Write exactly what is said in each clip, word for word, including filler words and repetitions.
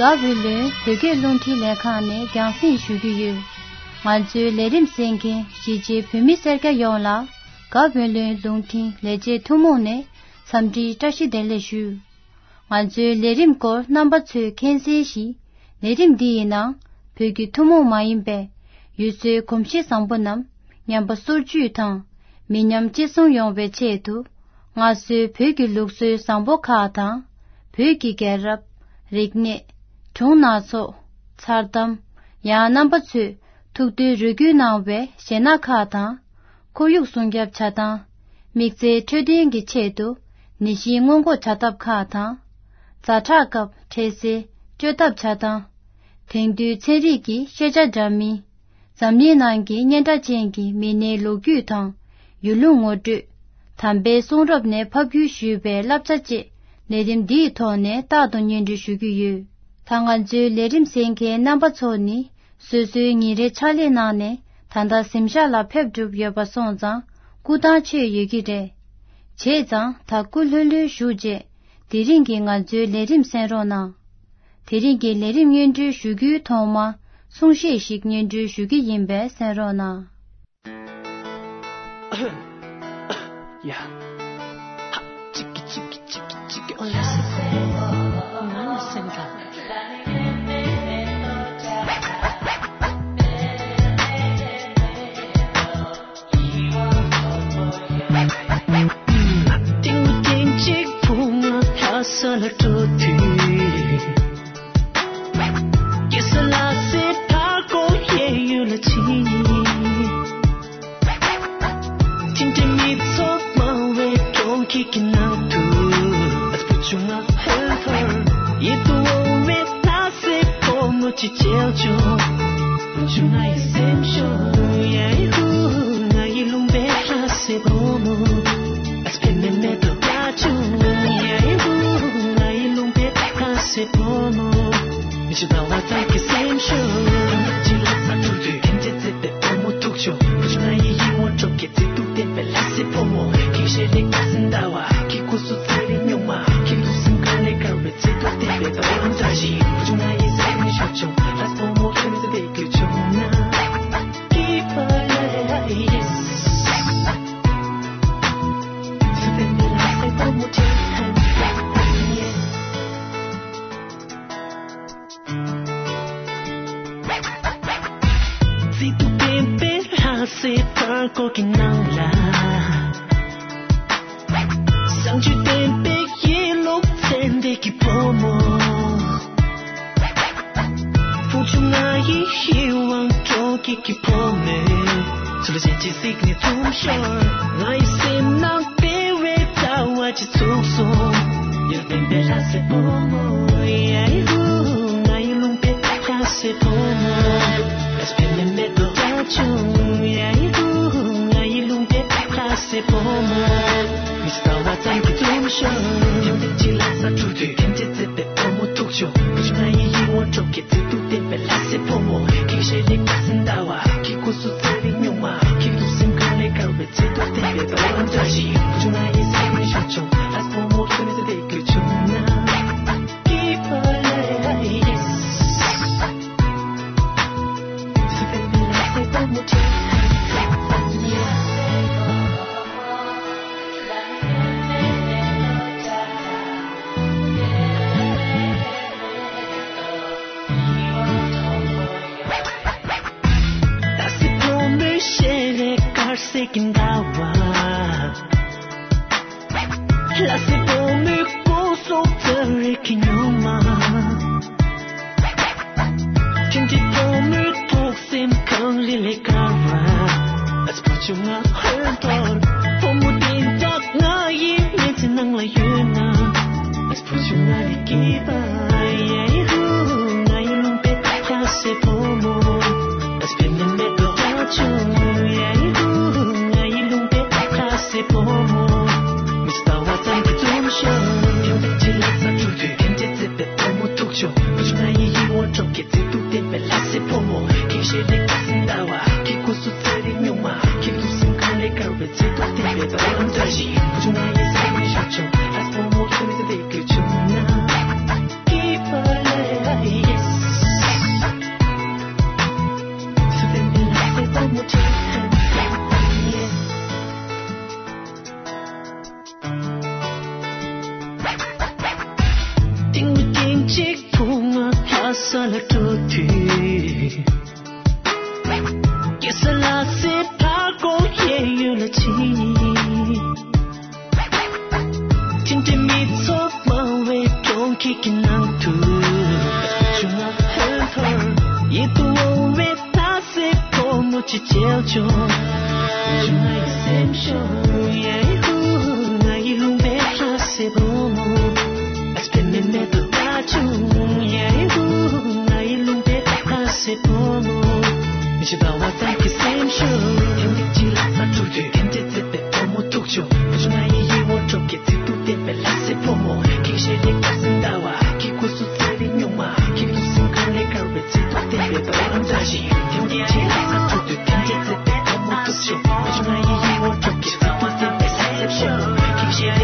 དགའ་བོད་ལུང་བོད་སྐད་རླུང་འཕྲིན་ལས་ཁང་ནས་རྒྱང་སྲིང་ཞུ་གི་ཡོད། ང་ཚོའི་ལས་རིམ་གསན་མཁན་གཞིས་བྱེས་བོད་མི་སེར་སྐྱ་ཡོངས་ལ་དགའ་བོད་ལུང་རླུང་འཕྲིན་ལས་བྱེད་ཐུན་མོང་ནས་འཚམས་འདྲིའི་བཀྲ་ཤིས་བདེ་ལེགས་ཞུ། ང་ཚོའི་ལས་རིམ་སྐོར་རྣམ་པ་ཚོས་མཁྱེན་གསལ་བཞིན། ལས་རིམ་འདི་ཡི་ནང་བོད་ཀྱི་ཐུན་མོང་མ་ཡིན་པའི་ཡུལ་སྲོལ་གོམས་གཤིས་བཟང་པོ་རྣམས་ཉམས་པ་སོར་ཆུད་དང་། མི་ཉམས་གཅེས་སྲུང་ཡོང་བའི་ཆེད་དུ། སྔར་སྲོལ་བོད་ཀྱི་ལུགས་སྲོལ་བཟང་པོ་ཁག་དང་། བོད་ཀྱི་རྒྱལ་རབས། རིག་གནས། སྒྲུང་སྣ་ཚོགས། མཚར་གཏམ། ཡང་རྣམ་པ་ཚོས་ཐུགས་འདུན་རེ་སྐུལ་གནང་བའི་གཞས་སྣ་ཁག་དང་། ཁོར་ཡུག་སྲུང་སྐྱོབ་བྱ་སྟངས། དམིགས་བསལ་འཕྲོད་བསྟེན་གྱི་ཆེད་དུ་ནད་གཞི་སྔོན་འགོག་བྱ་ཐབས་ཁག་དང་། ཛ་དྲག་སྐབས་འཕྲལ་སེལ་བཅོས་ཐབས་བྱ་སྟངས། དེང་དུས་ཚན་རིག་གི་ཤེས་བྱ་འདྲ་མིན། འཛམ་གླིང་ནང་གི་སྙན་གྲགས་ཅན་གྱི་མི་སྣའི་ལོ་རྒྱུས་དང་། ཡུལ་ལུང་ངོ་སྤྲོད། དམ་པའི་གསུང་རབ་ནས་ཕབ་བསྒྱུར་ཞུས་པའི་བསླབ་བྱ་བཅས་ལས་རིམ་འདིའི་ཐོག་ནས་རྟག་ཏུ་སྙན་སྒྲོན་ཞུ་གི་ཡོད། ད་ང་ཚོའི་ལས་རིམ་གསན་མཁན་རྣམ་པ་ཚོ་ནི། སོ་སོའི་ཉིན་རེའི་ཕྱག་ལས་གནང་ནས་ད་ལྟ་གཟིམ་ཤག་ལ་ཕེབས་གྲུབ་ཡོད་པ་སོང་ཙང་སྐུ་ཐང་ཆད་ཡོད་ཀྱི་རེད། བྱས་ཙང་ད་སྐུ་ལྷོད་ལྷོད་བཞུགས་རྗེས་དེ་རིང་གི་ང་ཚོའི་ལས་རིམ་གསན་རོགས་གནང་། དེ་རིང་གི་ལས་རིམ་སྙན་སྒྲོན་ཞུ་རྒྱུའི་ཐོག་མ་གསུང་བཤད་ཞིག་སྙན་སྒྲོན་ཞུ་གི་ཡིན་པས་གསན་རོགས་གནང་། ཡ། ཧ། ཅིག་གི་ཅིག་གི་ཅིག་གི་ཅིག་གི། ཨོ་ལ་སི་ཕོ་མོ། ང་ལ་སེམས་ཐག་ཏིང་ཏིང་ཅིག་བུ་ང་ལྷ་ས་ལ་འགྲོ་དུས། ཀེ་ས་ལ་སེ་ཕར་ཀོ་ཡེ་ཡུལ་ལ་ཕྱིན། ཅིང་ཏེ་མི་ཚོགས་མང་བའི་གྲོང་ཁྱེར་གྱི་ནང་དུ། ཨ་བུ་ཆུང་ང་ཧོན་ཐོར་ཡིད་དུ་འོང་བའི་ལྷ་སའི་བུ་མོ་ཅིག་མཇལ་བྱུང་། བུ་ཆུང་ང་ཡི་སེམས་ཤོར་ཡ་ཧུ། ང་ཡི་ལུང་པའི་ལྷ་སའི་བུ་མོ། ཨ་སྤེ་མེ་མེ་ཏོ་ཀ་ཆུང་ཡ་ཧུ། ང་ཡི་ལུང་པའི་ལྷ་སའི་བུ་མོ། མི་ཤི་ད་བ་ཙམ་གྱི་སེམས་ཤོར། ཅི་ལ་ས་འཁྲུག་དུས་ཁྱིམ་ཆེ་ཚེ་པའི་བུ་མོ་ཐུག་ཆོག་བུ་ཆུང་ང་ཡི་ཡིད་འོང་གྲོགས་ཀྱི་ཚེ་ཐུག་བསྟན་པའི་ལྷ་སའི་བུ་མོ། ཁྱིམ་ཤེས་རིག་པ་སེམས་ཟླ་བ། ཁྱི་ཁུ་སུ་ཚེ་རིང་སྨྱུག་མ། ཁྱི་ལུ་སེམས་ཁ་ལས་དཀར་བའི་ཚེ་ཐུག་བསྟན་པའི་ད་བ་ལམ་བཀྲ་ཤིས། བུ་ཆུང་ང་ཡི་སེམས་ཤོར་ཆོག་ལྷ་སའི་བུ་མོ་ཁྱོད་ཚེ་བསྟན་གྱི་ཆུང་ན། Keep on living, yes. བུ་ཆུང་ང་ཡི་ཡིད་དབང་སྤྲོ་སྐྱིད་ཀྱི་བུ་མོས། ཚུལ་ཅན་གྱི་གཟིགས་ནས་འཛུམ་ཤོར། ང་ཡི་སེམས་ནང་བདེ་བའི་ཟླ་བ་ཅིག་ཚུགས་སོང་། ཡར་བེམ་པའི་ལྷ་སའི་བུ་མོ། ཡ་ཧུ། ང་ཡི་ལུང་པའི་ལྷ་སའི་བུ་མོ། ཨ་སྤེ་མེ་མེ་ཏོ་ཀ་ཆུང་། ཡ་ཧུ། ང་ཡི་ལུང་པའི་ལྷ་སའི་བུ་མོ། མི་ཟླ་བ་ཙམ་གྱི་འཛུམ་ཤོར། ཡང་ཏིག་ཅི་ལ་ས་འཁྲུག་དུས་ཁྱིམ་ཆེ་ཚེ་པའི་བུ་མོ་ཐུག་ཆོག་བུ་ཆུང་ང་ཡི་ཡིད་འོང་གྲོགས་ཀྱི་ཚེ་ཐུག་བསྟན་པའི་ལྷ་སའི་བུ་མོ། ཁྱི་ཤེས་རིག་པ་སེམས་ཟླ་བ། ཁྱི་ཁུ་སུ་ཚེ་རིང་སྨྱུག་མ། ཁྱི་ལུ་སེམས་ཁ་ལས་དཀར་བའི་ཚེ་ཐུག་བསྟན་པའི་ད་བ་ལམ་བཀྲ་ཤིས། བུ་ཆུང་ང་ཡི་སེམས་ཤོར་ཆོག་ལྷ་སའི་བུ་མོ་ཁྱོད་ཚེ་བསྟན་གྱི་ཆུང་ན། Keep on living, yes. སེམས་གངས་རི་ལས་དཀར་བ། ཨ་ཙི་བུ་ཆུང་ང་ཧོན་ཐོར། བུ་མོ་བདེ་འཇགས་ང་ཡི་མི་ཚེ་ནང་ལ་ཡོད་ན། ཨ་ཙི་བུ་ཆུང་ང་ལས་སྐྱིད་པ་ཡ་ཧུ། ང་ཡི་ལུང་པའི་ལྷ་སའི་བུ་མོ། ཨ་ཙི་བེ་མེ་མེ་ཏོ་ཀ་ཆུང་ཡ་ཧུ། ང་ཡི་ལུང་པའི་ལྷ་སའི་བུ་མོ། མི་ཟླ་བ་ཙམ་གྱི་འཛུམ་ཤོར། ཡང་ཏིག་ཅི་ལ་ས་འཁྲུག་དུས་ཁྱིམ་ཆེ་ཚེ་པའི་བུ་མོ་ཐུག་ཆོག་བུ་ཆུང་ང་ཡི་ཡིད་འོང་གྲོགས་ཀྱི་ཚེ་ཐུག་བསྟན་པའི་ལྷ་སའི་བུ་མོ། ཁྱི་ཤེས་རིག་པ་སེམས་ཟླ་བ། ཁྱི་ཁུ་སུ་ཚེ་རིང་སྨྱུག་མ། ཁྱི་ལུ་སེམས་ཁ་ལས་དཀར་བའི་ཚེ་ཐུག་བསྟན་པའི་ད་བ་ལམ་བཀྲ་ཤིས། བུ་ཆུང་ང་ཡི་སེམས་ཤོར་ཆོག་ལྷ་སའི་བུ་མོ་ཁྱོད་ཚེ་བསྟན་གྱི་ཆུང་ན། Keep on living, ས་ལ་འགྲོ་དུས། ཀེ་ས་ལ་སེ་ཕ་ཀོ་ཡེ་ཡུལ་ལ་ཕྱིན། ཐིམ་ཐིམ་མི་ཚོགས་མང་བའི་གྲོང་ཁྱེར་གྱི་ནང་དུ། ཆུང་ང་ཧོན་ཐོར་ཡིད་དུ་འོང་བའི་ལྷ་སའི་ཕོ་མོ་ཅིག་མཇལ་བྱུང་། ཆུང་ང་ཡི་སེམས་ཤོར་ཡ་ཧུ། ང་ཡི་ལུང་པའི་ལྷ་སའི་ཕོ་མོ། ཨ་ཙི་པེ་མེ་མེ་ཏོ་ལྟ་བྱུང་ཡ་ཧུ། ང་ཡི་ལུང་པའི་ལྷ་སའི་ཕོ་མོ། མི་ཤེས་པ་བ་ཙམ་གྱི་སེམས་ཤུགས། ཐེངས་གཅིག་ལ་ས་འཁྲུག་དུས་ཐེངས་གཅིག་བརྩེ་བའི་བུ་མོ་ཐུག་བྱུང་། བུ་ཆུང་ང་ཡི་ཡིད་འོང་གྲོགས་ཀྱི་ཚིག་ཏུ་བསྟན་པའི་ལྷ་སའི་ཕོ་མོ། ཁྱེད་ཞལ་ལས་དགའ་སེམས་ལྟ་བ། ཁྱེད་སྐུ་གཟུགས་ཚེ་རིང་སྨྱུག་མ། ཁྱེད་ལུས་སེམས་གངས་ལས་དཀར་བའི་ཚིག་ཏུ་བསྟན་པའི་བ་ལང་འདྲ་ཞིག་ཐེངས་གཅིག་ལ་ས་འཁྲུག་དུས་ཐེངས་གཅིག་བརྩེ་བའི་བུ་མོ་ཐུག་བྱུང་། བུ་ཆུང་ང་ཡི་ཡིད་འོང་གྲོགས་ཀྱི་ཚིག་ཏུ་བསྟན་པའི་ལྷ་སའི་ཕོ་མོ། ཁྱེད་ཞལ་ལས་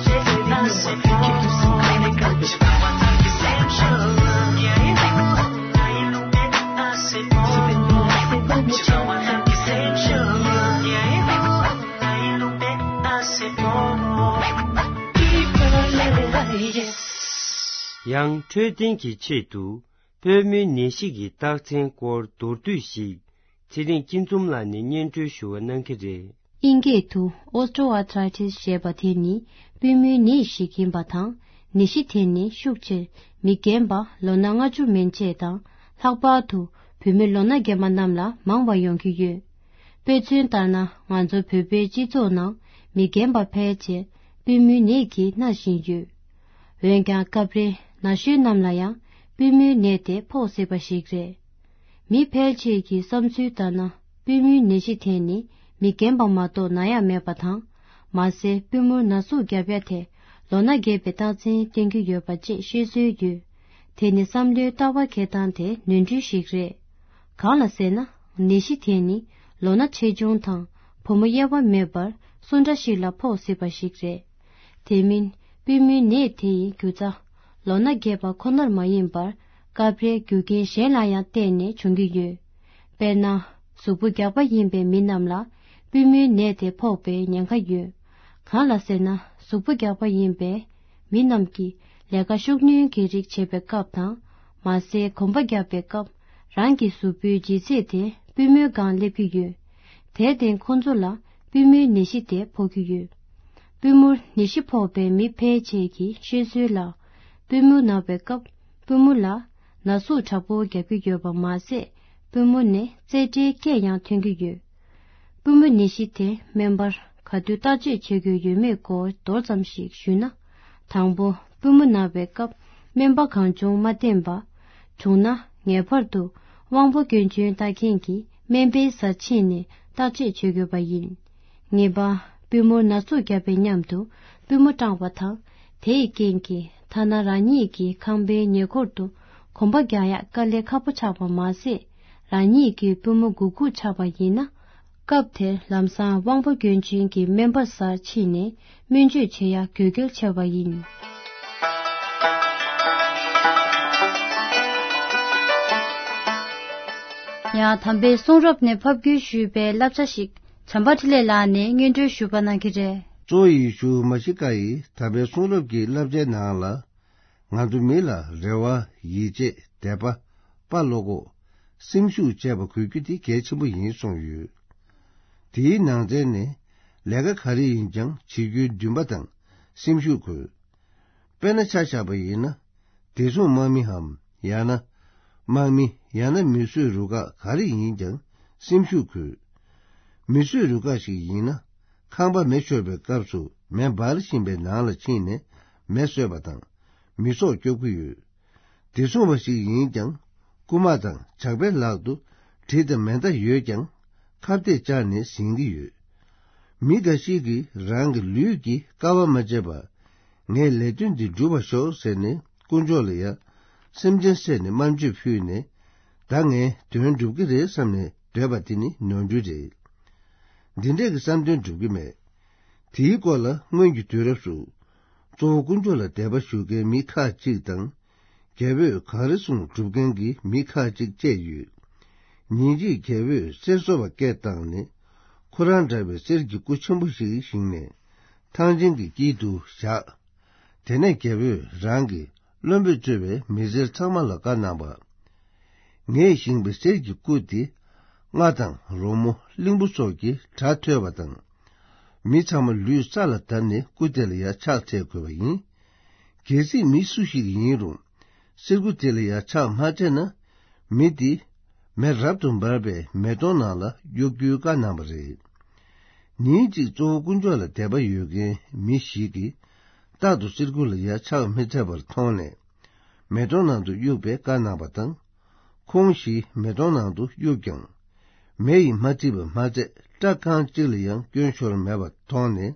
དགའ་སེམས་ལྟ་བ། ཁྱེད་སྐུ་གཟུགས་ཚེ་རིང་སྨྱུག་མ། ཁྱེད་ལུས་སེམས་གངས་ལས་དཀར་བའི་བ་ལང་འདྲ་ཞིག་ཡང་འཕྲོད་བསྟེན་གྱི་ཆེད་དུ་པུས་མོའི་ནད་གཞི་གི་རྟགས་མཚན་སྐོར་མདོར་བསྡུས་ཤིག་ཚེ་རིང་སྐྱིད་འཛོམས་ལགས་ནས་སྙན་སྒྲོན་ཞུ་བ་གནང་གི་རེད། དབྱིན་སྐད་དུ་Osteoarthritis ཞེས་པ་དེ་ནི་པུས་མོའི་ནད་ཞིག་ཡིན་པ་དང་། ནད་གཞི་དེ་ནི་ཤུགས་ཆེར་མི་རྒན་པ་ལོ་ན་ལྔ་བཅུ་མན་ཆད་དང་། ལྷག་པར་དུ་བུད་མེད་ལོ་ན་རྒན་པ་རྣམས་ལ་མང་བ་ཡོང་གི་ཡོད། དཔེ་མཚོན་ལྟར་ན། ང་ཚོ་བོད་པའི་སྤྱི་ཚོགས་ནང་མི་རྒན་པ་ཕལ་ཆེར་པུས་མོའི་ནད་ཀྱིས་མནར་བཞིན་ཡོད། འོན་ཀྱང་། སྐབས་རེ་ན་གཞོན་རྣམས་ལ་ཡང་པུས་མོའི་ནད་དེ་ཕོག་སྲིད་པ་ཞིག་རེད། མི་ཕལ་ཆེར་གྱི་བསམ་ཚུལ་ལྟར་ན། པུས་མོའི་ནད་གཞི་དེ་ནི་མི་རྒན་པ་མ་གཏོགས་ན་ཡག་མེད་པ་དང་། མ་ཟད། པུས་མོར་ན་ཟུག་བརྒྱབ་ཡ་དེ་ལོ་ན་རྒས་པའི་རྟགས་མཚན་སྟོན་གྱི་ཡོད་པ་བཅས་བཤད་སྲོལ་ཡོད། དེ་ནི་བསམ་བློའི་ལྟ་བ་འཁྱེར་སྟངས་དེ་ནོར་འཁྲུལ་ཞིག་རེད། གང་ལ་ཟེར་ན། ནད་གཞི་དེ་ནི་ལོ་ན་ཆེ་ཆུང་དང་། བུ་མོ་དབྱེ་བ་མེད་པར་སུ་འདྲ་ཞིག་ལ་ཕོག་སྲིད་པ་ཞིག་རེད། དེ་མིན། པུས་མོའི་ནད་དེ་ཡི་རྒྱུ་རྩ་ལོ་ན་རྒས་པ་ཁོ་ནར་མ་ཡིན་པར། སྐབས་རེ་རྒྱུ་རྐྱེན་གཞན་ལ་ཡང་བརྟེན་ནས་བྱུང་གི་ཡོད། དཔེར་ན། གཟུགས་པོ་རྒྱགས་པ་ཡིན་པའི་མི་རྣམས་ལ་པུས་མོའི་ནད་དེ་ཕོག་པའི་ཉེན་ཁ་ཡོད། གང་ལ་ཟེར་ན། གཟུགས་པོ་རྒྱགས་པ་ཡིན་པའི་མི་རྣམས་ཀྱིས་ལས་ཀ་ཤུགས་སྣོན་གྱི་རིགས་བྱེད་པའི་སྐབས་དང་། མ་ཟད། གོམ་པ་རྒྱག་པའི་སྐབས། རང་གི་གཟུགས་པོའི་ལྗིད་ཚད་དེ་པུས་མོའི་སྒང་སླེབས་ཀྱི་ཡོད། དེར་བརྟེན། ཁོ་ཚོ་ལ་པུས་མོའི་ནད་གཞི་དེ་ཕོག་གི་ཡོད། པུས་མོར་ནད་གཞི་ཕོག་པའི་མི་ཕལ་ཆེར་གྱིས་བཤད་སྲོལ་ལ། པུས་མོ་ན་བའི་སྐབས། པུས་མོ་ལ་ན་ཟུག་དྲག་པོ་རྒྱག་གི་ཡོད་པ་མ་ཟད། པུས་མོ་ནས་རྩེ་གྲའི་སྐད་ཡང་ཐོན་གྱི་ཡོད། པུས་མོ་ནད་གཞི་དེ་སྨན་པར་ག་དུས་བརྟག་དཔྱད་བྱེད་དགོས་ཡོད་མེད་སྐོར་མདོར་ཙམ་ཞིག་ཞུས་ན། དང་པོ། པུས་མོ་ན་བའི་སྐབས་སྨན་པ་གང་བྱུང་མ་བསྟེན་པ། བྱུང་ན་ངེས་པར་དུ་དབང་པོ་སྐྱོན་ཅན་ལྟ་མཁན་གྱི་སྨན་པའི་སར་ཕྱིན་ནས་བརྟག་དཔྱད་བྱེད་དགོས་པ་ཡིན། གཉིས་པ། པུས་མོར་ན་ཟུག་བརྒྱབ་པའི་མཉམ་དུ་པུས་མོ་སྐྲངས་པ་དང་། དེའི་རྐྱེན་གྱིས་ཐ་ན་རང་ཉིད་ཀྱི་ཁང་པའི་ཉེ་འཁོར་དུ་གོམ་པ་རྒྱག་ཡག་དཀའ་ལས་ཁག་པོ་ཆགས་པ་མ་ཟད། རང་ཉིད་ཀྱི་པུས་མོ་གུག་གུག་ཆགས་པ་ཡིན་ན། སྐབས་དེར་ལམ་སང་དབང་པོ་སྐྱོན་ཅན་གྱི་སྨན་པ་སར་ཕྱིན་ནས་སྨན་བཅོས་བྱེད་ཡག་དགོས་གལ་ཆེ་བ་ཡིན། ཡང་དམ་པའི་གསུང་རབ་ནས་ཕབ་བསྒྱུར་ཞུས་པའི་བསླབ་བྱ་ཞིག་བྱམས་པ་འཕྲིན་ལས་ལགས་ནས་སྙན་སྒྲོན་ཞུ་བ་གནང་གི་རེད། གཙོ་བོ་ཡེ་ཤུ་མ་ཤི་ཀ་ཡིས་དམ་པའི་གསུང་རབ་ཀྱི་བསླབ་བྱའི་ནང་ལ། ང་ཚོ་མི་ལ་རེ་བ། ཡིད་ཆེས། དད་པ། དཔའ་བློ་ཁོག་སེམས་ཤུགས་བཅས་པ་དགོས་རྒྱུ་དེ་གལ་ཆེན་པོ་ཡིན་གསུངས་ཡོད། དེའི་ནང་ཚན་ནས་ལས་ཀ་ག་རེ་ཡིན་ཀྱང་བྱེད་རྒྱུའི་འདུན་པ་དང་སེམས་ཤུགས་དགོས། དཔེར་ན་ཆ་བཞག་པ་ཡིན་ན། བདེ་སྲུང་དམག་མིའམ་ཡང་ན། དམག་མི་ཡང་ན་མེ་གསོད་རུ་ཁག་ག་རེ་ཡིན་ཀྱང་སེམས་ཤུགས་དགོས། མེ་གསོད་རུ་ཁག་ཞིག་ཡིན་ན། ཁང་པ་མེ་ཤོར་བའི་སྐབས་སུ་མེ་འབར་བཞིན་པའི་ནང་ལ་ཕྱིན་ནས་མེ་གསོད་པ་དང་། མི་སྲོག་སྐྱོབ་ཀྱི་ཡོད། བདེ་སྲུང་བ་ཞིག་ཡིན་ཀྱང་། རྐུ་མ་དང་ཇག་པའི་ལག་ཏུ་གྲི་དང་མེ་མདའ་ཡོད་ཀྱང་། ཁ་གཏད་བཅག་ནས་ཟིན་གྱི་ཡོད། མི་འགའ་ཞིག་གིས་རང་གི་ལུས་ཀྱི་དཀའ་བ་མ་བརྗེད་པར། ངའི་ལས་དོན་འདི་འགྲུབ་པར་ཤོག་ཟེར་ནས་དཀོན་མཆོག་ལ་ཡ། སེམས་ཅན་བསད་ནས་དམར་མཆོད་ཕུལ་ནས། ད་ངའི་དོན་འགྲུབ་ཀྱི་རེད་བསམ་ནས་སྡོད་པ་དེ་ནི་ནོར་འཁྲུལ་རེད། འདི་འདྲས་ཀྱི་བསམ་དོན་འགྲུབ་ཀྱི་མེད། དེའི་སྐོར་ལ་སྔོན་གྱི་དུས་རབས་སུ། གཙོ་བོ་དཀོན་མཆོག་ལ་དད་པ་ཞུ་མཁན་མི་ཁག་ཅིག་དང་། རྒྱལ་པོས་གང་རེ་གསུངས་སྒྲུབ་མཁན་གྱི་མི་ཁག་ཅིག་བཅས་ཡོད། ཉིན་གཅིག་རྒྱལ་པོས་གསེར་བཟོ་བ་སྐད་བཏང་ནས། ཁོ་རང་འདྲ་བའི་གསེར་གྱི་སྐུ་ཆེན་པོ་ཞིག་བཞེངས་ནས། ཐང་ཆེན་གྱི་དཀྱིལ་དུ་བཞག་དེ་ནས་རྒྱལ་པོས་རང་གི་ བློན་པོས་གཙོས་པའི་མི་སེར་ཚང་མ་ལ་བཀའ་གནང་བ། ངས་བཞེངས་པའི་གསེར་གྱི་སྐུ་དེ་རྔ་དང་རོལ་མོ་གླིང་བུ་སོགས་ཀྱི་སྒྲ་ཐོས་པ་དང་། མི་ཚང་མ་ལུས་ས་ལ་བརྡབས་ནས་སྐུ་དེ་ལ་ཡང་ཕྱག་འཚལ་དགོས་པ་ཡིན། གལ་སྲིད་མི་སུ་ཞིག་ཡིན་རུང་གསེར་སྐུ་དེ་ལ་ཡང་ཕྱག་མ་འཚལ་ན། མི་དེ་མེ་རབ་ཏུ་འབར་བའི་མེ་དོང་ནང་ལ་གཡུག་རྒྱུའི་བཀའ་གནང་བ་རེད། ཉིན་གཅིག་གཙོ་བོ་དཀོན་མཆོག་ལ་དད་པ་ཡོད་མཁན་མི་ཞིག་གིས་རྟག་ཏུ་གསེར་སྐུ་ལ་ཡང་ཕྱག་མི་འཚལ་བར་མཐོང་ནས། མེ་དོང་ནང་དུ་གཡུག་པའི་བཀའ་གནང་བ་དང་། ཁོང་བཞི་མེ་དོང་ནང་དུ་གཡུགས་ཀྱང་། མེ་ཡིས་མ་འཁྲིད་པ་མ་ཚད་སྐྲ་རྐང་གཅིག་ལ་ཡང་སྐྱོན་ཤོར་མེད་པར་མཐོང་ནས།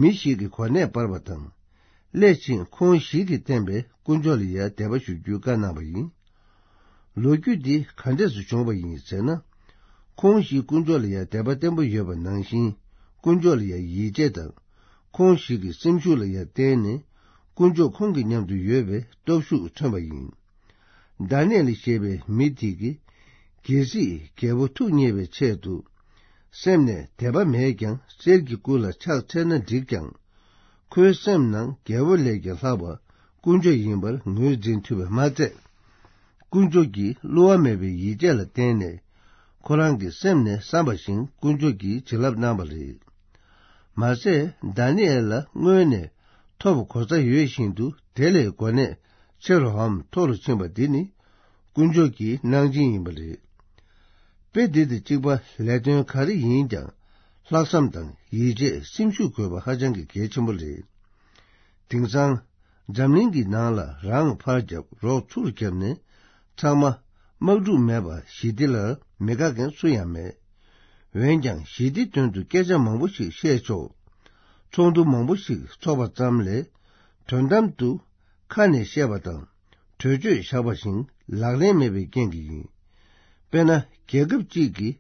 མི་ཞིག་གི་གོ་གནས་སྤར་བ་དང་། སླད་ཕྱིན་ཁོང་བཞི་གིས་བསྟན་པའི་དཀོན་མཆོག་ལ་ཡང་དད་པ་ཞུ་རྒྱུའི་བཀའ་གནང་བ་ཡིན། ལོ་རྒྱུས་འདི་ག་འདྲས་སུ་བྱུང་བ་ཡིན་ཟེར་ན། ཁོང་བཞིས་དཀོན་མཆོག་ལ་ཡང་དད་པ་བརྟན་པོ་ཡོད་པ་ནང་བཞིན། དཀོན་མཆོག་ལ་ཡང་ཡིད་ཆེས་དང་། ཁོང་བཞི་གི་སེམས་ཤུགས་ལ་ཡང་བརྟེན་ནས། དཀོན་མཆོག་ཁོང་གི་མཉམ་དུ་ཡོད་པའི་སྟོབས་ཤུགས་ཐོན་པ་ཡིན། དཱ་ནི་ཨེལ་ཞེས་པའི་མི་དེ་གིས། གལ་སྲིད་རྒྱལ་པོ་ཐུགས་མཉེས་པའི་ཆེད་དུ། སེམས་ནས་དད་པ་མེད་ཀྱང་གསེར་གྱི་སྐུ་ལ་ཕྱག་འཚལ་ན་འགྲིག་ཀྱང་། ཁོའི་སེམས་ནང་རྒྱལ་པོ་ལས་ཀྱང་ལྷག་པ་དཀོན་མཆོག་ཡིན་པར་ངོས་འཛིན་ཐུབ་པས་མ་ཚད། དཀོན་མཆོག་གིས་བསླུ་བ་མེད་པའི་ཡིད་ཆེས་ལ་བརྟེན་ནས། ཁོ་རང་གི་སེམས་ནས་བསམ་པ་བཞིན་དཀོན་མཆོག་གིས་བྱིན་རླབས་གནང་བ་རེད། མ་ཟད། དཱ་ནི་ཨེལ་ལ་སྔོན་ནས་ཐོབ་གོ་ས་ཡོད་བཞིན་དུ། དེ་ལས་གོ་གནས་ཆེ་རུའམ་མཐོ་རུ་ཕྱིན་པ་འདི་ནི། དཀོན་མཆོག་གི་གནང་སྦྱིན་ཡིན་པ་རེད། དཔེ་འདི་དང་གཅིག་པ་ལས་དོན་ག་རེ་ཡིན་ཀྱང་། ལྷག་བསམ་དང་ཡིད་ཆེས། སེམས་ཤུགས་དགོས་པ་ཧ་ཅང་གི་གལ་ཆེན་པོ་རེད། དེང་སང་། འཛམ་གླིང་གི་ནང་ལ་རང་ཕར་བརྒྱབ་རོགས་ཚུར་བརྒྱབ་ནས། ཚང་མ་དམག་འཁྲུག་མེད་པ་ཞི་བདེ་ལ་མི་དགའ་མཁན་སུ་ཡང་མེད། འོན་ཀྱང་། ཞི་བདེ་དོན་དུ་སྐད་ཆ་མང་པོ་ཞིག་བཤད་ཆོག་ཚོགས་འདུ་མང་པོ་ཞིག་ཚོགས་པ་ཙམ་ལས། དོན་དམ་དུ་ཁ་ནས་བཤད་པ་དང་། གྲོས་ཆོད་བཞག་པ་བཞིན་ལག་ལེན་མེད་པའི་རྐྱེན་གྱིས་ཡིན། དཔེར་ན། རྒྱལ་ཁབ་ཅིག་གིས་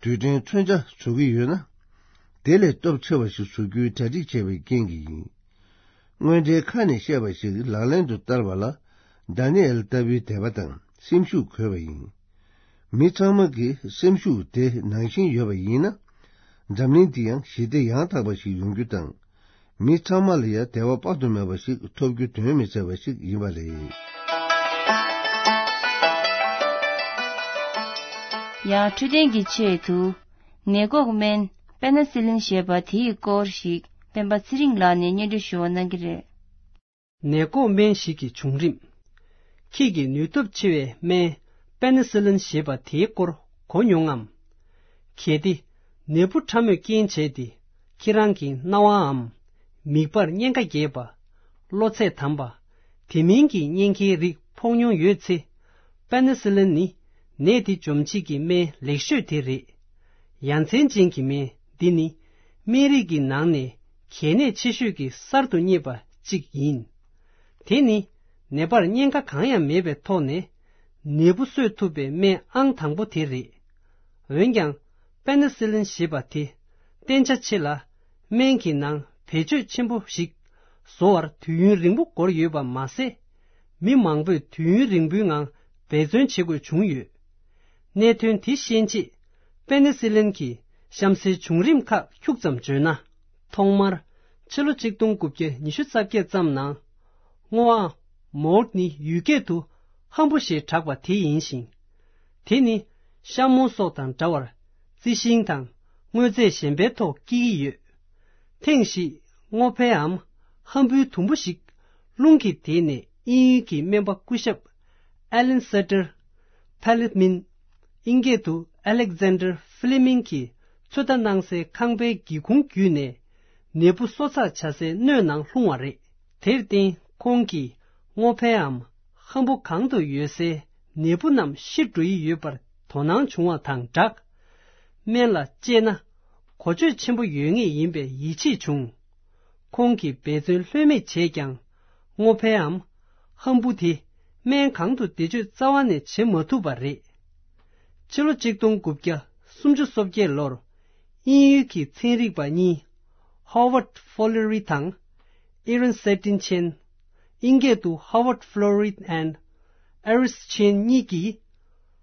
རྡུལ་ཕྲན་མཚོན་ཆ་བཟོ་གི་ཡོད་ན། དེ་ལས་སྟོབས་ཆེ་བ་ཞིག་བཟོ་རྒྱུའི་གྲ་སྒྲིག་བྱས་པའི་རྐྱེན་གྱིས་ཡིན། དངོས་འབྲེལ་ཁ་ནས་བཤད་པ་ཞིག་ལག་ལེན་དུ་བསྟར་བ་ལ། དཱ་ནི་ཨེལ་ལྟ་བུའི་དད་པ་དང་སེམས་ཤུགས་དགོས་པ་ཡིན། མི་ཚང་མ་གི་སེམས་ཤུགས་དེ་ནང་བཞིན་ཡོད་པ་ཡིན་ན། འཛམ་གླིང་འདི་ཡང་ཞི་བདེ་ཡང་དག་པ་ཞིག་ཡོང་རྒྱུ་དང་། མི་ཚང་མ་ལ་ཡང་བདེ་བ་དཔག་ཏུ་མེད་པ་ཞིག་ཐོབ་རྒྱུ་དོན་མི་འཚལ་བ་ཞིག་ཡིན་པ་རེད། ཡང་འཕྲོད་བསྟེན་གྱི་ཆེད་དུ། ནད་འགོག་སྨན་པེ་ན་སི་ལིན་ཞེས་པ་དེའི་སྐོར་ཞིག་སྤེན་པ་ཚེ་རིང་ལགས་ནས་སྙན་སྒྲོན་ཞུ་བ་གནང་གི་རེད། ནད་འགོག་སྨན་ཞིག་གི་བྱུང་རིམ། ཁྱི་གི་ནུས་སྟོབས་ཆེ་བའི་སྨན་པེ་ན་སི་ལིན་ཞེས་པ་དེའི་སྐོར་གོ་མྱོང་ངམ། གལ་ཏེ། ནད་འབུ་ཕྲ་མོས་རྐྱེན་བྱས་ཏེ། ཁྱེད་རང་གི་རྣ་བའམ། མིད་པར་གཉན་ཁ་རྒྱས་པ། གློ་ཚད་དམ་པ། དེ་མིན་གྱི་གཉན་ཁའི་རིགས་ཕོག་མྱོང་ཡོད་ཚེ། པེ་ན་སི་ལིན་ནི་ནད་དེ་འཇོམས་བྱེད་ཀྱི་སྨན་ལེགས་ཤོས་དེ་རེད། ཡ་མཚན་ཅན་གྱི་སྨན་འདི་ནི་སྨན་རིགས་ཀྱི་ནང་ནས་གལ་གནད་ཆེ་ཤོས་ཀྱི་གསར་དུ་རྙེད་པ་གཅིག་ཡིན། དེ་ནི་ནད་པར་གཉན་ཁ་གང་ཡང་མེད་པའི་ཐོག་ནས་ནད་འབུ་གསོད་ཐུབ་པའི་སྨན་ཨང་དང་པོ་དེ་རེད། འོན་ཀྱང་པེ་ན་སི་ལིན་ཞེས་པ་དེ་བརྟན་ཆ་ཆེ་ལ། སྨན་གྱི་ནང་བེད་སྤྱོད་ཆེན་པོ་ཞིག་བཟོ་བར་དུས་ཡུན་རིང་པོ་འགོར་ཡོད་པ་མ་ཟད། མི་མང་པོས་དུས་ཡུན་རིང་པོའི་ངང་འབད་བརྩོན་བྱེད་དགོས་བྱུང་ཡོད། གནད་དོན་དེ་ཤེས་རྗེས། པེ་ནེ་སི་ལིན་གྱི་གཤམ་གསལ་བྱུང་རིམ་ཁག་ཁྱུག་ཙམ་བརྗོད་ན། ཐོག་མར་ཕྱི་ལོ་ཆིག་སྟོང་དགུ་བརྒྱ་ཉི་ཤུ་རྩ་བརྒྱད་ཙམ་ནང་། སྔོ་ཨ་མོལ་ནི་ཡུལ་སྐད་དུ་ཧམ་བུ་ཞེས་གྲགས་པ་དེ་ཡིན་ཞིང་། དེ་ནི་ཤ་མོ་སོགས་དང་འདྲ་བར་རྩི་ཤིང་དང་དངོས་རྫས་གཞན་པའི་ཐོག་སྐྱེ་གི་ཡོད། ཐེངས་ཤིག་སྔོ་ཕལ་འམ་ཧམ་བུའི་དུམ་བུ་ཞིག་རླུང་གིས་དེད་ནས་དབྱིན་ཡུལ་གྱི་སྨན་པ་སྐུ་ཞབས་ཨེ་ལན་སེ་ཏེར་ཕེ་ལེ་མིན། དབྱིན་སྐད་དུ་ཨ་ལེག་ཛན་ཏར་ཕི་ལེ་མིང་གིས་ཚོད་ལྟ་གནང་སའི་ཁང་པའི་སྒེའུ་ཁུང་བརྒྱུད་ནས་ནད་འབུ་གསོ་ཚགས་བྱ་སའི་སྣོད་ནང་ལྷུང་བ་རེད། དེར་བརྟེན་ཁོང་གིས་སྔོ་ཕལ་འམ་ཧམ་བུ་གང་དུ་ཡོད་སའི་ནད་འབུ་རྣམས་ཤི་འགྲོ་ཡི་ཡོད་པར་དོ་སྣང་བྱུང་བ་དང་སྦྲགས། སྨན་ལ་སྤྱད་ན་གོ་ཆོད་ཆེན་པོ་ཡོད་ངེས་ཡིན་པའི་ཡིད་ཆེས་བྱུང་། ཁོང་གིས་འབད་བརྩོན་ལྷོད་མེད་བྱས་ཀྱང་། སྔོ་ཕལ་འམ་ཧམ་བུ་དེ་སྨན་གང་དུ་བེད་སྤྱོད་རྩ་བ་ནས་བྱེད་མ་ཐུབ་པ་རེད། ཕྱི་ལོ་ཆིག་སྟོང་དགུ་བརྒྱ་སུམ་ཅུ་སོ་བརྒྱད་ལོར། དབྱིན་ཡུལ་གྱི་ཚན་རིག་པ་གཉིས། Howard Florey དང་། Aaron Setin Chen། དབྱིན་སྐད་དུ་Howard Florey and Aaron Chen གཉིས་ཀྱིས།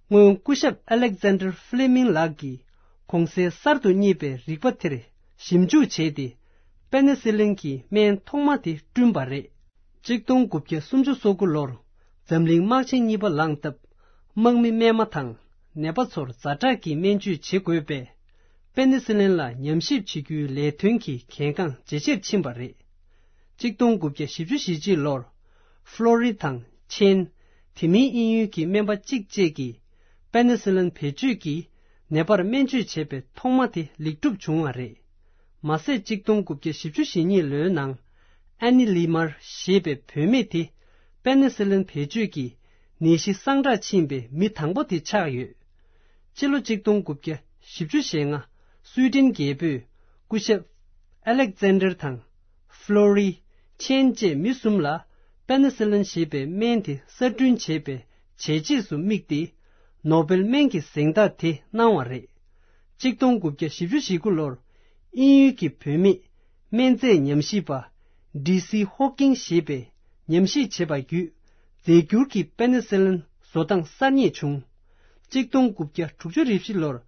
སྔོན་སྐུ་ཞབས་ཨ་ལེག་ཛན་ཏར་ཕི་ལེ་མིང་ལགས་ཀྱིས་གོང་གསལ་གསར་དུ་རྙེད་པའི་རིག་པ་དེར་ཞིབ་འཇུག་བྱས་ཏེ། པེ་ནེ་སི་ལིན་གྱི་སྨན་ཐོག་མ་དེ་བསྐྲུན་པ་རེད། གཅིག་སྟོང་དགུ་བརྒྱ་སུམ་ཅུ་སོ་དགུ་ལོར་འཛམ་གླིང་དམག་ཆེན་གཉིས་པ་ལངས་སྟབས། དམག་མི་རྨས་མ་དང་ནད་པ་ཚོར་ཛ་དྲག་གི་སྨན་བཅོས་བྱེད་དགོས་པས། པེ་ནི་སི་ལིན་ལ་ཉམས་ཞིབ་བྱེད་རྒྱུའི་ལས་དོན་གྱི་གལ་འགངས་ཇེ་ཆེར་ཕྱིན་པ་རེད། གཅིག་སྟོང་དགུ་བརྒྱ་བཞི་བཅུ་ཞེ་གཅིག་ལོར། ཧྥ་ལོ་རི་དང་ཆེན། དེ་མིན་དབྱིན་ཡུལ་གྱི་སྨན་པ་གཅིག་བཅས་ཀྱིས། པེ་ནི་སི་ལིན་བེད་སྤྱོད་ཀྱིས་ནད་པར་སྨན་བཅོས་བྱས་པའི་ཐོག་མ་དེ་ལེགས་གྲུབ་བྱུང་བ་རེད། མ་ཟད་གཅིག་སྟོང་དགུ་བརྒྱ་བཞི་བཅུ་ཞེ་གཉིས་ལོའི་ནང་། ཨ་ནི་ལི་མར་ཞེས་པའི་བུད་མེད་དེ། པེ་ནི་སི་ལིན་བེད་སྤྱོད་ཀྱིས་ནད་གཞི་སངས་དྲག་ཕྱིན་པའི་མི་དང་པོ་དེ་ཆགས་ཡོད། ཕྱི་ལོ་གཅིག་སྟོང་དགུ་བརྒྱ་བཞི་བཅུ་ཞེ་ལྔ། སུའི་ཏན་རྒྱལ་པོས་སྐུ་ཞབས་ཨ་ལེག་ཛན་ཌར་དང་། ཧྥ་ལོ་རི། ཆེན་བཅས་མི་གསུམ་ལ་པེ་ནི་སི་ལིན་ཞེས་པའི་སྨན་དེ་གསར་སྐྲུན་བྱས་པའི་བྱས་རྗེས་སུ་དམིགས་ཏེ། ནོ་བེལ་སྨན་གྱི་གཟེངས་རྟགས་དེ་གནང་བ་རེད། གཅིག་སྟོང་དགུ་བརྒྱ་བཞི་བཅུ་ཞེ་དགུ་ལོར། དབྱིན་ཡུལ་གྱི་བུད་མེད། སྨན་རྫས་ཉམས་ཞིབ་པ། ཌི་སི་ཧོ་ཀིང་ཞེས་པས་ཉམས་ཞིབ་བྱས་པ་བརྒྱུད། རྫས་འགྱུར་གྱི་པེ་ནི་སི་ལིན་བཟོ་སྟངས་གསར་རྙེད་བྱུང་། གཅིག་སྟོང་དགུ་བརྒྱ་དྲུག་ཅུ་རེ་བཞི་ལོར།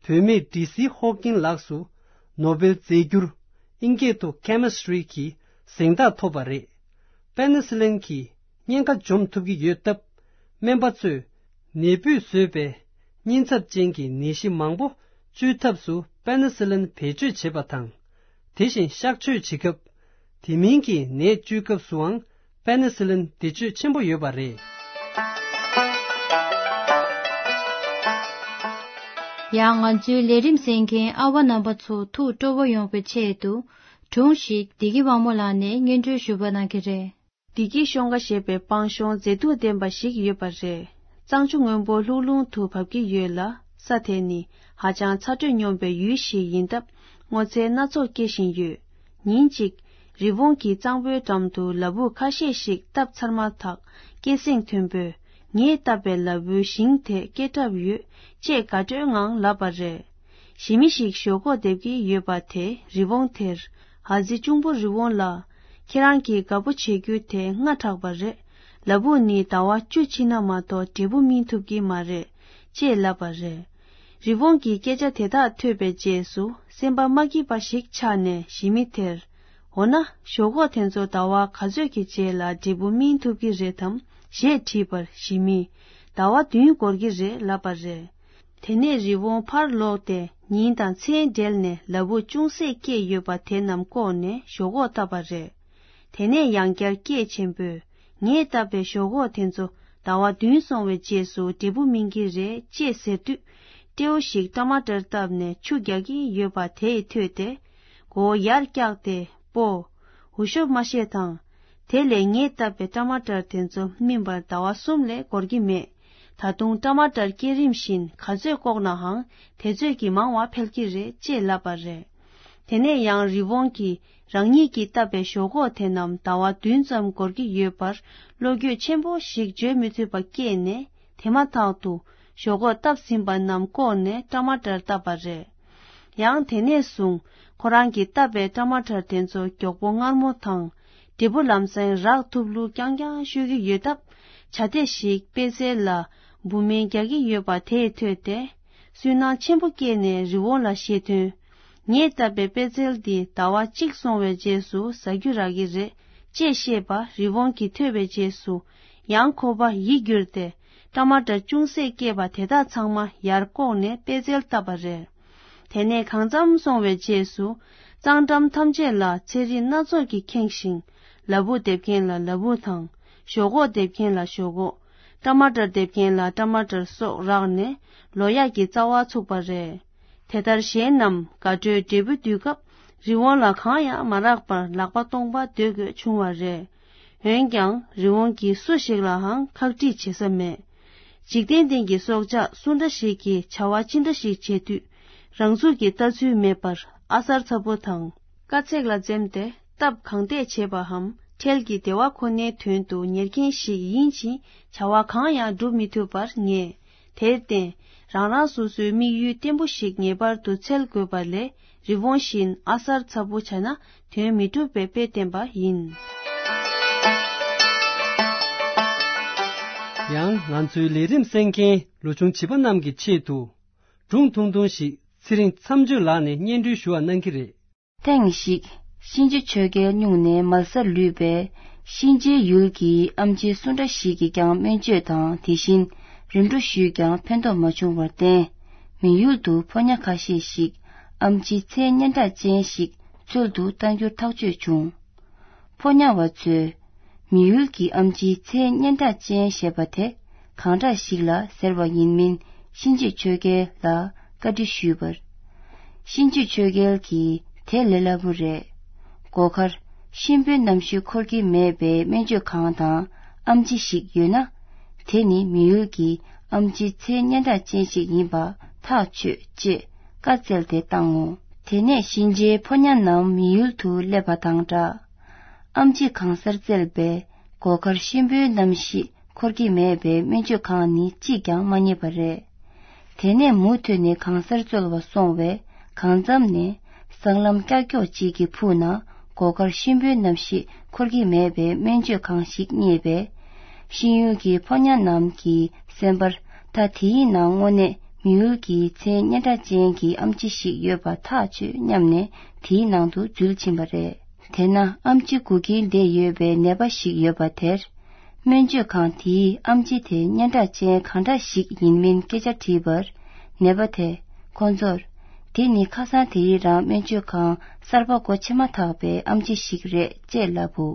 བུད་མེད་ཌི་སི་ཧོ་ཀིང་ལགས་སུ། ནོ་བེལ་རྫས་འགྱུར། ཨིན་སྐད་དུ་ཁེ་མི་སི་ཊི་རི་གི་གཟེངས་རྟགས་ཐོབ་པ་རེད། པེ་ནི་སི་ལིན་གྱིས་གཉན་ཁ་འཇོམས་ཐུབ་ཀྱི་ཡོད་སྟབས། སྨན་པ་ཚོས་ནད་འབུས་བཟོས་པའི་གཉན་ཚབས་ཅན་གྱི་ནད་གཞི་མང་པོ་བཅོས་ཐབས་སུ་པེ་ནི་སི་ལིན་བེད་སྤྱོད་བྱེད་པ་དང་། དེ་བཞིན་གཤག་བཅོས་བྱེད་སྐབས། དེ་མིན་གྱི་ནད་བཅོས་སྐབས་སུའང་པེ་ནི་སི་ལིན་བེད་སྤྱོད་ཆེན་པོ་ཡོད་པ་རེད། ཡང་ང་ཚོའི་ལས་རིམ་གསན་མཁན་ཨ་བ་རྣམ་པ་ཚོ་ཐུགས་སྤྲོ་བོ་ཡོང་བའི་ཆེད་དུ། སྒྲུང་ཞིག་བདེ་སྐྱིད་དབང་མོ་ལགས་ནས་སྙན་སྒྲོན་ཞུ་བ་གནང་གི་རེད། བདེ་སྐྱིད་གཤོང་ཁ་ཞེས་པའི་སྤང་གཤོང་མཛེས་སྡུག་ལྡན་པ་ཞིག་ཡོད་པ་རེད། གཙང་ཆུ་སྔོན་པོ་ལྷུག་རླུང་དུ་བབས་ཀྱི་ཡོད་ལ། ས་དེ་ནི་ཧ་ཅང་ཚ་དྲོད་སྙོམས་པའི་ཡུལ་ཞིག་ཡིན་སྟབས། སྔོ་ཚལ་སྣ་ཚོགས་སྐྱེ་བཞིན་ཡོད། ཉིན་གཅིག་རི་བོང་གིས་གཙང་པོའི་འགྲམ་དུ་ལ་ཕུག་ཁ་ཤས་ཤིག་བཏབ་ཚར་མ་ཐག་སྐད་གསེང་མཐོན་པོས། ངས་བཏབ་པའི་ལ་ཕུག་ཞིང་དེ་སྐྱེ་གྲབས་ཡོད། ཅེས་དགའ་སྤྲོའི་ངང་ལབ་པ་རེད། ཞི་མི་ཞིག་ཞོག་ཁོག་འདེབས་ཀྱི་ཡོད་པ་དེས་རི་བོང་དེར། ཨ་ཙི་གཅུང་པོ་རི་བོང་ལགས། ཁྱེད་རང་གིས་དགའ་པོ་བྱེད་རྒྱུ་དེ་སྔ་དྲགས་པ་རེད། ལ་ཕུག་ནི་ཟླ་བ་བཅུ་ཕྱིན་ན་མ་གཏོགས་འབྲས་བུ་སྨིན་ཐུབ་ཀྱི་མ་རེད། ཅེས་ལབ་པ་རེད། རི་བོང་གིས་སྐད་ཆ་དེ་དག་ཐོས་པའི་རྗེས་སུ་སེམས་པ་མ་སྐྱིད་པ་ཞིག་ཆགས་ནས་ཞི་མི་དེར། འོ་ན་ཞོག་ཁོག་དེ་ཚོ་ཟླ་བ་ག་ཚོད་ཀྱི་རྗེས་ལ་འབྲས་བུ་སྨིན་ཐུབ་ཀྱི་རེད་དམ་ཞེས་དྲིས་པར་ཞི་མིས། ཟླ་བ་བདུན་འགོར་གྱི་རེད་ལབ་པ་རེད། དེ་ནས་རི་བོང་ཕར་ལོག་སྟེ་ཉིན་དང་མཚན་སྦྲེལ་ནས་ལ་ཕུག་ཅུང་ཟད་སྐྱེས་ཡོད་པ་དེ་རྣམས་བཀོག་ནས་ཞོག་ཁོག་བཏབ་པ་རེད། དེ་ནས་ཡང་བསྐྱར་སྐད་ཆེན་པོས། ངས་བཏབ་པའི་ཞོག་ཁོག་དེ་ཚོ་ཟླ་བ་བདུན་སོང་བའི་རྗེས་སུ་འབྲས་བུ་སྨིན་གྱི་རེད་ཅེས་ཟེར་དུས། སྤྲེའུ་ཞིག་ཊ་མ་ཊར་བཏབ་ནས་ཆུ་རྒྱག་གི་ཡོད་པ་དེས་ཐོས་ཏེ། མགོ་བོ་ཡར་བཀྱགས་ཏེ་སྤོ། འུ་ཤོབ་མ་བཤད་དང་། དེ་ལས་ངས་བཏབ་པའི་ཊ་མ་ཊར་དེ་ཚོ་སྨིན་པར་ཟླ་བ་གསུམ་ལས་འགོར་གྱི་མེད། ད་དུང་ཊ་མ་ཊར་སྐྱེ་རིམ་བཞིན་ག་ཚོད་བཀོག་ནའང་དེ་ཚོད་ཀྱིས་མང་བ་འཕེལ་གྱི་རེད་ཅེས་ལབ་པ་རེད། དེ་ནས་ཡང་རི་བོང་གིས་རང་ཉིད་ཀྱིས་བཏབ་པའི་ཞོག་ཁོག་དེ་རྣམས་ཟླ་བ་བདུན་ཙམ་འགོར་གྱི་ཡོད་པར་བློ་འགྱོད་ཆེན་པོ་ཞིག་བརྗོད་མི་ཐུབ་པ་སྐྱེས་ནས་དེ་མ་ཐག་ཏུ་ཞོག་ཁོག་བཏབ་ཟིན་པ་རྣམས་བཀོག་ནས་ཊ་མ་ཊར་བཏབ་པ་རེད། ཡང་དེ་ནས་བཟུང་ཁོ་རང་གིས་བཏབ་པའི་ཊ་མ་ཊར་དེ་ཚོ་མགྱོགས་པོ་མངར་མོ་དང་། འབྲས་བུ་ལམ་སེང་རག་ཐུབ་ལུགས་རྐྱང་རྐྱང་ཤོད་ཀྱི་ཡོད་སྟབས། བྱ་དེ་ཞིག་པད་ཚལ་ལ་འབུ་སྨན་རྒྱག་གི་ཡོད་པ་དེས་ཐོས་ཏེ། སུན་སྣང་ཆེན་པོ་སྐྱེས་ནས་རི་བོང་ལ་བཤད་དོན། ངས་བཏབ་པའི་པད་ཚལ་འདི་ཟླ་བ་གཅིག་སོང་བའི་རྗེས་སུ་ཟ་རྒྱུ་རག་གི་རེད་ཅེས་བཤད་པ་རི་བོང་གིས་ཐོས་པའི་རྗེས་སུ། ཡང་ཁོ་པ་ཡིད་འགྱུར་ཏེ། ཊ་མ་ཊར་ཅུང་ཟད་སྐྱེས་པ་དེ་དག་ཚང་མ་ཡར་བཀོག་ནས་པད་ཚལ་བཏབ་པ་རེད། དེ་ནས་གང་འཚམ་སོང་བའི་རྗེས་སུ། གཙང་འགྲམ་ཐམས་ཅད་ལ་ཚལ་རིགས་སྣ་ཚོགས་ཀྱིས་ཁེངས་ཤིང་། ལ་ཕུག་འདེབས་མཁན་ལ་ལ་ཕུག་དང་། ཞོག་ཁོག་འདེབས་མཁན་ལ་ཞོག་ཁོག་ཊ་མ་ཊར་འདེབས་མཁན་ལ་ཊ་མ་ཊར་སོགས་རག་ནས་ལོ་ཡག་གི་རྩ་བ་ཚུགས་པ་རེད། དེ་ལྟར་གཞན་རྣམས་དགའ་སྤྲོའི་འབྲས་བུ་སྡུད་སྐབས་རི་བོང་ལ་གང་ཡང་མ་རག་པར་ལག་པ་སྟོང་པ་སྡོད་དགོས་བྱུང་བ་རེད། འོན་ཀྱང་རི་བོང་གིས་སུ་ཞིག་ལའང་ཁག་དཀྲིས་བྱེད་ས་མེད། འཇིག་རྟེན་སྟེང་གི་སྲོག་ཆགས་སུ་འདྲ་ཞིག་གིས་བྱ་བ་ཅི་འདྲ་ཞིག་བྱེད་དུས། རང་ཚུགས་ཀྱི་ལྟ་ཚུལ་མེད་པར་ཨ་གསར་ཚ་པོ་དང་། དཀའ་ཚེགས་ལ་འཛེམས་ཏེ་སྟབས་གང་བདེ་བྱེད་པའམ་འཕྲལ་གྱི་བདེ་བ་ཁོ་ནའི་དོན་དུ་ཉེར་མཁན་ཞིག་ཡིན་ཕྱིན་བྱ་བ་གང་ཡང་སྒྲུབ་མི་ཐུབ་པར་ངེས། དེར་བརྟེན། རང་རང་སོ་སོའི་དམིགས་ཡུལ་བརྟན་པོ་ཞིག་ངེས་པར་དུ་འཚོལ་དགོས་པ་ལས་རི་བོང་བཞིན་ཨ་གསར་ཚ་པོ་བྱས་ན་དོན་མི་འགྲུབ་པའི་དཔེ་བསྟན་པ་ཡིན། ཡང་ང་ཚོའི་ལས་རིམ་གསན་མཁན་ལོ་ཆུང་བྱིས་པ་རྣམས་ཀྱི་ཆེད་དུ། སྒྲུང་ཐུང་ཐུང་ཞིག་ཚེ་རིང་མཚམས་གཅོད་ལགས་ནས་སྙན་སྒྲོན་ཞུ་བ་གནང་གི་རེད། ཐེངས་ཤིག་གཤིན་རྗེ་ཆོས་རྒྱལ་སྨྱུང་གནས་མལ་སར་ལུས་པས། གཤིན་རྗེའི་ཡུལ་གྱི་ཨམ་ཆི་སུ་འདྲ་ཞིག་གིས་ཀྱང་སྨན་བཅོས་དང་དེ་བཞིན་རིམ་གྲོ་ཞུས་ཀྱང་ཕན་ཐོགས་མ་བྱུང་བར་བརྟེན། མི་ཡུལ་དུ་ཕོ་ཉ་ཁ་ཤས་ཤིག་ཨམ་ཆི་མཚན་སྙན་གྲགས་ཅན་ཞིག་འཚོལ་དུ་བཏང་རྒྱུར་ཐག་གཅོད་བྱུང་། ཕོ་ཉ་བ་ཚོས། མི་ཡུལ་གྱི་ཨམ་ཆི་མཚན་སྙན་གྲགས་ཅན་ཞེས་པ་དེ་གང་འདྲ་ཞིག་ལ་ཟེར་བ་ཡིན་མིན་གཤིན་རྗེ་ཆོས་རྒྱལ་ལ་བཀའ་འདྲི་ཞུས་པར། གཤིན་རྗེ་ཆོས་རྒྱལ་གྱིས་དེ་ལས་སླ་པོ་རེད། སྒོ་ཁར་གཤིན་པོའི་རྣམ་ཤེས་འཁོར་གྱི་མེད་པའི་སྨན་བཅོས་ཁང་དང་ཨམ་ཆི་ཞིག་ཡོད་ན། དེ་ནི་མི་ཡུལ་གྱི་ཨམ་ཆི་མཚན་སྙན་གྲགས་ཅན་ཞིག་ཡིན་པ་ཐག་ཆོད་ཅེས་བཀའ་སྩལ་ཏེ་བཏང་ངོ་། དེ་ནས་གཤིན་རྗེའི་ཕོ་ཉ་རྣམས་མི་ཡུལ་དུ་སླེབས་པ་དང་སྦྲགས། ཨམ་ཆི་གང་སར་བཙལ་བས་སྒོ་ཁར་གཤིན་པོའི་རྣམ་ཤེས་འཁོར་གྱི་མེད་པའི་སྨན་བཅོས་ཁང་ནི་གཅིག་ཀྱང་མ་རྙེད་པ་རེད། དེ་ནས་མུ་མཐུད་ནས་གང་སར་འཚོལ་བར་སོང་བས་གང་འཚམ་ནས་སྲང་ལམ་ཀྱག་ཀྱོག་ཅིག་གི་ཕུག་ན་སྒོ་ཁར་གཤིན་པོའི་རྣམ་ཤེས་འཁོར་གྱི་མེད་པའི་སྨན་བཅོས་ཁང་ཞིག་རྙེད་པས། གཤིན་ཡུལ་གྱི་ཕོ་ཉ་རྣམས་ཀྱི་སེམས་པར་ད་དེའི་ནང་དངོས་གནས་མི་ཡུལ་གྱི་མཚན་སྙན་གྲགས་ཅན་གྱི་ཨམ་ཆི་ཞིག་ཡོད་པ་ཐག་ཆོད་སྙམ་ནས་དེའི་ནང་དུ་འཛུལ་ཕྱིན་པ་རེད། དེས་ན་ཨམ་ཆི་སྒུག་གིན་བསྡད་ཡོད་པའི་ནད་པ་ཞིག་ཡོད་པ་དེར། སྨན་བཅོས་ཁང་དེའི་ཨམ་ཆི་དེ་སྙན་གྲགས་ཅན་གང་འདྲ་ཞིག་ཡིན་མིན་སྐད་ཆ་དྲིས་པར། ནད་པ་དེས་ཁོ་ཚོར། དེ་ནི་ཁ་སང་དེ་རིང་རང་སྨན་བཅོས་ཁང་གསར་པ་སྒོ་ཕྱེ་མ་ཐག་པའི་ཨམ་ཆི་ཞིག་རེད་ཅེས་ལབ་བོ།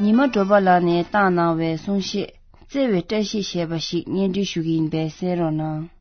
ཉི་མ་སྒྲོལ་མ་ལགས་ནས་བཏང་གནང་བའི་གསུང་བཤད། བརྩེ་བའི་བཀྲ་ཤིས་ཞེས་པ་ཞིག་སྙན་སྒྲོན་ཞུ་གི་ཡིན་པས་གསན་རོགས་གནང་།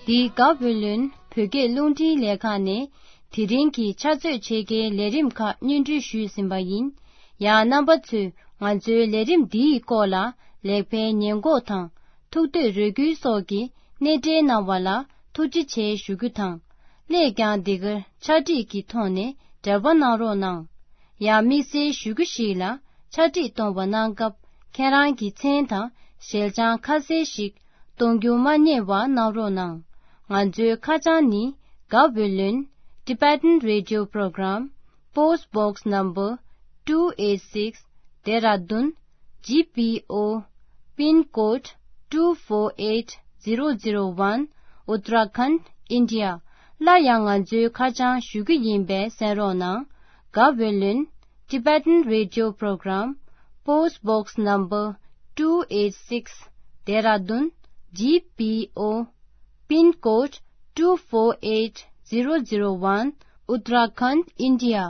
འདི་ག་བོད་ལུན་བོད་སྐད་རླུང་འཕྲིན་ལས་ཁང་ནས་དེ་རིང་གི་ཕྱག་ཚོད་ཕྱེད་ཀའི་ལས་རིམ་ཁག་སྙན་སྒྲོན་ཞུས་ཟིན་པ་ཡིན། ཡང་རྣམ་པ་ཚོས་ང་ཚོའི་ལས་རིམ་འདིའི་སྐོར་ལ་ལེགས་སྤེལ་ཉེས་འགོག་དང་ཐུགས་འདོད་རེ་སྐུལ་སོགས་ཀྱི་སྣེ་འདྲེན་གནང་བ་ལ་ཐུགས་རྗེ་ཆེ་ཞུ་རྒྱུ་དང་། སླད་ཀྱང་འདི་གར་ཕྱག་བྲིས་ཀྱི་ཐོག་ནས་འབྲེལ་བ་གནང་རོགས་གནང་། ཡང་དམིགས་བསལ་ཞུ་རྒྱུ་ཞིག་ལ་ཕྱག་བྲིས་གཏོང་བ་གནང་སྐབས་ ཁྱེད་རང་གི་མཚན་དང་ཞལ་བྱང་ཁ་གསལ་ཞིག་གཏོང་རྒྱུ་མ་བསྙེལ་བ་གནང་རོགས་གནང་། ང་ཚོའི་ཁ་བྱང་ནི། Gaweylon Tibetan Radio Program, Post Box Number two eight six, Dehradun GPO, Pin Code two four eight zero zero one, Uttarakhand, India. སླར་ཡང་ང་ཚོའི་ཁ་བྱང་ཞུ་རྒྱུ་ཡིན་པས་གསན་རོགས་གནང་། Gaweylon Tibetan Radio Program, Post Box Number two eight six, Dehradun GPO, Pin Code two four eight zero zero one, Uttarakhand, India.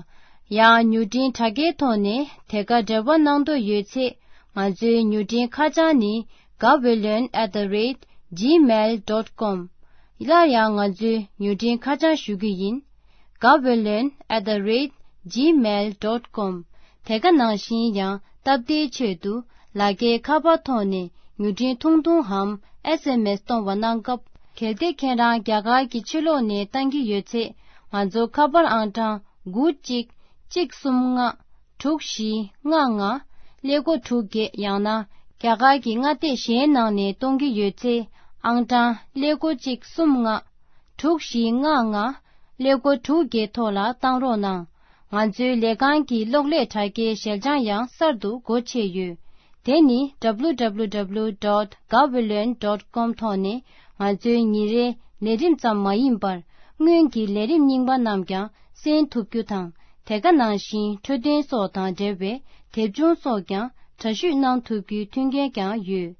ཡང་མྱུར་འཕྲིན་དྲ་རྒྱའི་ཐོག་ནས་དེ་ག་འབྲེལ་བ་གནང་འདོད་ཡོད་ཚེ། ང་ཚོའི་མྱུར་འཕྲིན་ཁ་བྱང་ནི། Gaweylon at the rate gmail dot com. སླར་ཡང་ང་ཚོའི་མྱུར་འཕྲིན་ཁ་བྱང་ཞུ་རྒྱུ་ཡིན། Gaweylon at the rate gmail dot com. དེ་ག་ནང་བཞིན་ཡང་སྟབས་བདེའི་ཆེད་དུ་ལག་འཁྱེར་ཁ་པར་ཐོག་ནས་མྱུར་འཕྲིན་ཐུང་ཐུང་འམ་ཨེས་ཨེམ་ཨེས་གཏོང་བ་གནང་སྐབས། གལ་ཏེ་ཁྱེད་རང་རྒྱ་གར་གྱི་ཕྱི་ལོགས་ནས་བཏང་གི་ཡོད་ཚེ། ང་ཚོ་ཁ་པར་ཨང་གྲངས་དགུ་གཅིག་གཅིག་གསུམ་ལྔ། དྲུག་བཞི་ལྔ་ལྔ། ཀླད་ཀོར་དྲུག་བརྒྱད། ཡང་ན་རྒྱ་གར་གྱི་མངའ་སྡེ་གཞན་ནང་ནས་གཏོང་གི་ཡོད་ཚེ། ཨང་གྲངས་ཀླད་ཀོར་གཅིག་གསུམ་ལྔ། དྲུག་བཞི་ལྔ་ལྔ། ཀླད་ཀོར་དྲུག་བརྒྱད་ཐོག་ལ་བཏང་རོགས་གནང་། ང་ཚོའི་ལས་ཁང་གི་གློག་ཀླད་དྲ་རྒྱའི་ཞལ་བྱང་ཡང་གསར་དུ་སྒོ་ཕྱེ་ཡོད། དེ་ནི་www dot gaweylon dot com ཐོག་ནས་ང་ཚོའི་ཉིན་རེའི་ལས་རིམ་ཙམ་མ་ཡིན་པར། སྔོན་གྱི་ལས་རིམ་རྙིང་པ་རྣམས་ཀྱང་གསན་ཐུབ་རྒྱུ་དང་། དེ་ག་ནང་བཞིན་འཕྲོད་བསྟེན་སོགས་དང་འབྲེལ་བའི་དེབ་ཆུང་སོགས་ཀྱང་འདྲ་བཤུས་གནང་ཐུབ་རྒྱུའི་མཐུན་རྐྱེན་ཀྱང་ཡོད།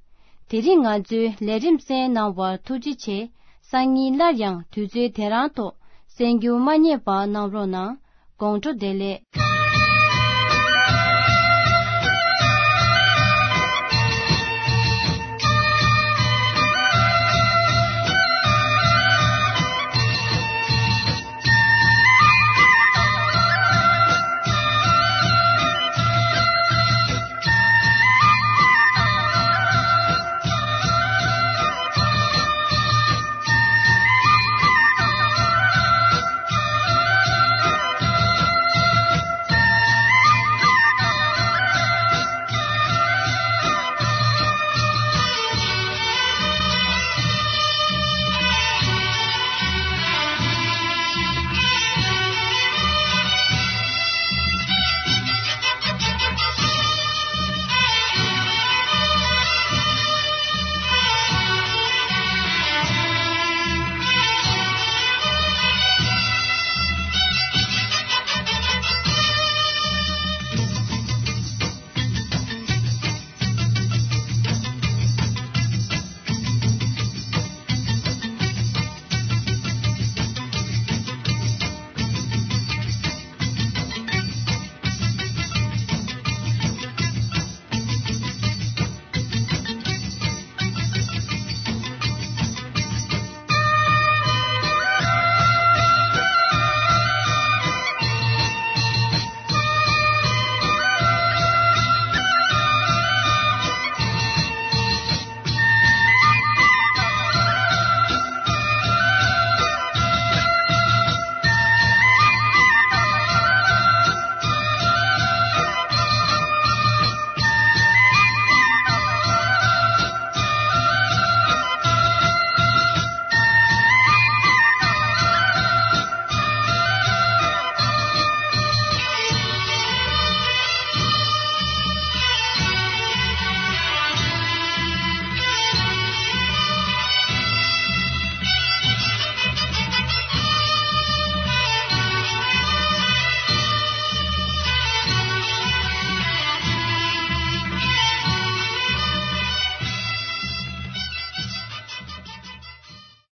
དེ་རིང་ང་ཚོའི་ལས་རིམ་གསན་གནང་བར་ཐུགས་རྗེ་ཆེ། སང་ཉིན་སླར་ཡང་དུས་ཚོད་དེ་རང་ཐོག་གསན་རྒྱུ་མ་བསྙེལ་བ་གནང་རོགས་གནང་། དགོང་དྲོ་བདེ་ལེགས།